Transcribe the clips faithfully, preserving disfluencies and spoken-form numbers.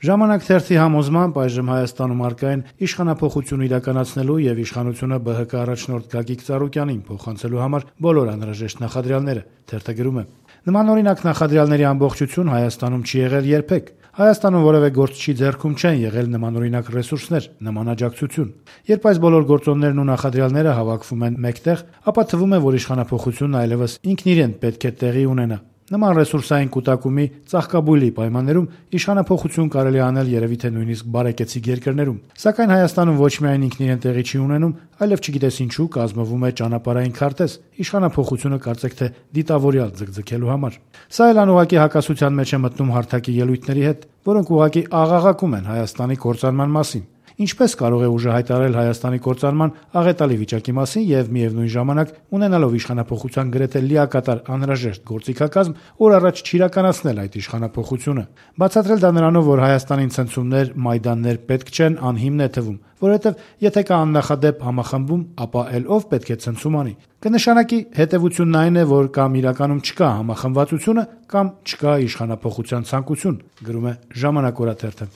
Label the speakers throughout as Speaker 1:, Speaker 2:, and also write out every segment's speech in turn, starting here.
Speaker 1: Ժամանակ թերթի համոզմամբ այժմ Հայաստանում առկա են իշխանափոխություն իրականացնելու եւ իշխանությունը ԲՀԿ առաջնորդ Գագիկ Ծառուկյանին փոխանցելու համար բոլոր անհրաժեշտ նախադրյալները։ Թերթը գրում է. նմանօրինակ նախադրյալների ամբողջություն Հայաստանում չի եղել երբեք։ Հայաստանում որևէ գործչի ձեռքում չեն եղել նմանօրինակ ռեսուրսներ, նման աջակցություն։ Երբ այս բոլոր գործոններն ու նախադրյալները հավաքվում են մեկտեղ, ապա թվում է, որ իշխանափոխությունն այլևս ինքն իրեն պետք է տեղի ունենա։ Նման ռեսուրսային կուտակումի ծաղկաբույլի պայմաններում իշխանափոխություն կարելի է անել երևի թե նույնիսկ բարեկեցիկ երկրներում։ Սակայն Հայաստանում ոչ միայն ինքն իրեն տեղի չի ունենում, այլև չգիտես ինչու կազմվում է ճանապարհային քարտեզ իշխանափոխությունը կարծեք թե դիտավորյալ ձգձգելու համար։ Սա էլ անուղղակի հակասության մեջ է մտնում հարթակի ելույթների հետ, որոնք ուղղակի աղաղակում են Հայաստանի կործանման մասին։ Ինչպես կարող է ուժը հայտարարել Հայաստանի կործանման աղետալի վիճակի մասին եւ միևնույն ժամանակ ունենալով իշխանափոխության գրեթե լիակատար անհրաժեշտ գործիքակազմ, օր առաջ չիրականացնել այդ իշխանափոխությունը։ Բացատրել դա նրանով, որ Հայաստանին ցնցումներ, մայդաններ պետք չեն, անհիմն է թվում, որովհետեւ եթե կա աննախադեպ համախմբում, ապա էլ ով պետք է ցնցում անի։ Կնշանակի հետևությունն այն է, որ կամ իրականում չկա համախմբվածությունը, կամ չկա իշխանափոխության ցանկություն, գրում է Ժամանակ օրաթերթը։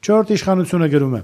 Speaker 1: Չորրորդ իշխանությունը գրում է.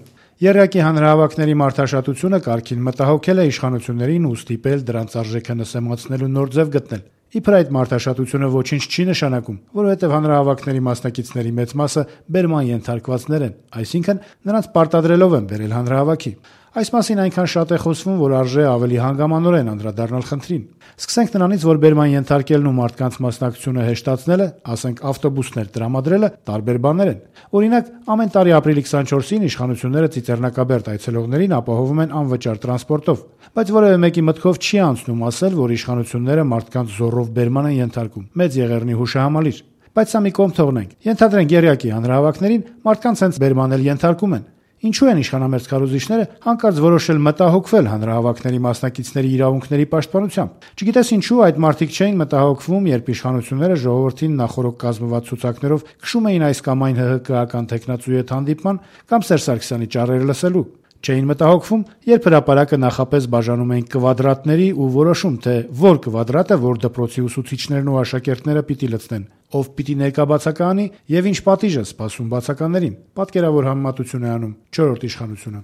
Speaker 1: Եռյակի հանրահավաքների մարդաշատությունը կարգին մտահոգել է իշխանություններին ու ստիպել դրանց արժեքը նսեմացնելու նոր ձև գտնել։ Իբր այդ մարդաշատությունը ոչինչ չի նշանակում, որովհետև հանրահավաքների մասնակիցների մեծ մասը բերման ենթարկվածներ են, այսինքն նրանց պարտադրելով են բերել հանրահավաքի։ Այս մասին այնքան շատ է խոսվում, որ արժե ավելի հանգամանորեն անդրադառնալ խնդրին։ Սկսենք նրանից, որ բերման ենթարկելն ու մարդկանց մասնակցությունը հեշտացնելը, ասենք ավտոբուսներ տրամադրելը, տարբեր բաներ են։ Օրինակ, ամեն տարի ապրիլի քսանչորսին իշխանությունները Ծիծեռնակաբերդ այցելողներին ապահովում են անվճար տրանսպորտով, բայց որևէ մեկի մտքով չի անցնում ասել, որ իշխանությունները մարդկանց զոռով բերման են ենթարկում, մեծ եղեռնի հուշահամալիր։ Բայց սա մի կողմ թողնենք։ Ենթադրենք եռյակի հանրահավաքներին մարդկանց հենց բերման էլ ենթարկում են։ Ինչու են իշխանամերձ քարոզիչները հանկարծ որոշել մտահոգվել հանրահավաքների մասնակիցների իրավունքների պաշտպանությամբ։ Չգիտես ինչու այդ մարդիկ չէին մտահոգվում, երբ իշխանությունները ժողովրդին նախորոք կազմված ցուցակներով քշում էին այս կամ այն ՀՀԿ-ական տեխնացուի հետ հանդիպման կամ Սերժ Սարգսյանի ճառերը լսելու։ Չէին մտահոգվում, երբ հրապարակը նախապես բաժանում էին կվադրատների ու որոշում, թե որ կվադրատը որ դպրոցի ուսուցիչներն ու աշակերտները պիտի լցնեն, ով պիտի ներկա բացակայանի եւ ինչ պատիժ է սպասում բացականներին։ Պատկերավոր համեմատություն է անում չորրորդ իշխանությունը։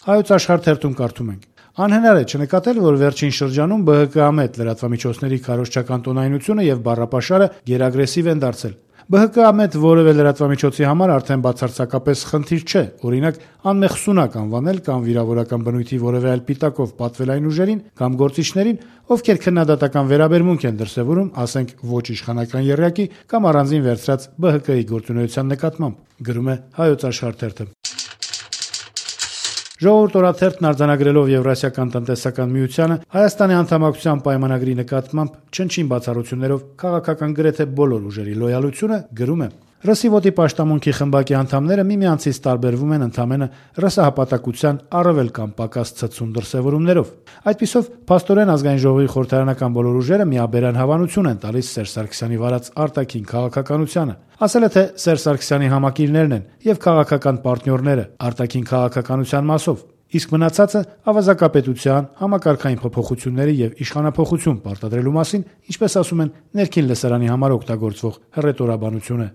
Speaker 1: Հայոց աշխարհ թերթում կարդում ենք. Անհնար է չնկատել, որ վերջին շրջանում ԲՀԿ-ամետ լրատվամիջոցների քարոզչական տոնայնությունը եւ բառապաշարը գերագրեսիվ են դարձել։ ԲՀԿ-ամետ որևէ լրատվամիջոցի համար արդեն բացարձակապես խնդիր չէ, օրինակ անմեղսունակ անվանել կամ վիրավորական բնույթի որևէ այլ պիտակով պատվել այն ուժերին կամ գործիչներին, ովքեր քննադատական վերաբերմունք են դրսևորում, ասենք ոչ իշխանական եռյակի կամ առանձին վերցրած ԲՀԿ-ի գործունեության նկատմամբ, գրում է Հայոց աշխարհ թերթը։ Ժողովուրդ օրաթերթն արձանագրելով Եվրասիական տնտեսական միությանը Հայաստանի անդամակցության պայմանագրի նկատմամբ չնչին բացառություններով քաղաքական գրեթե բոլոր ուժերի լոյալությունը գրում է. Ռսիվոտի պաշտամունքի խմբակի անդամները միմյանցից տարբերվում են ընդամենը ռսահպատակության առավել կամ պակաս ցցուն դրսևորումներով։ Այդպիսով փաստորեն ազգային ժողովի խորհրդարանական բոլոր ուժերը միաբերան հավանություն են տալիս Սերժ Սարգսյանի վարած արտաքին քաղաքականությանը։ Ասել է, թե Սերժ Սարգսյանի համակիրներն են եւ քաղաքական պարտներները արտաքին քաղաքականության մասով։ Իսկ մնացածը ավազակապետության, համակարգային փոփոխությունների եւ իշխանափոխություն պարտադրելու մասին, ինչպես ասում են, ներքին լսարանի համար օգտագործվող հռետորաբանություն է։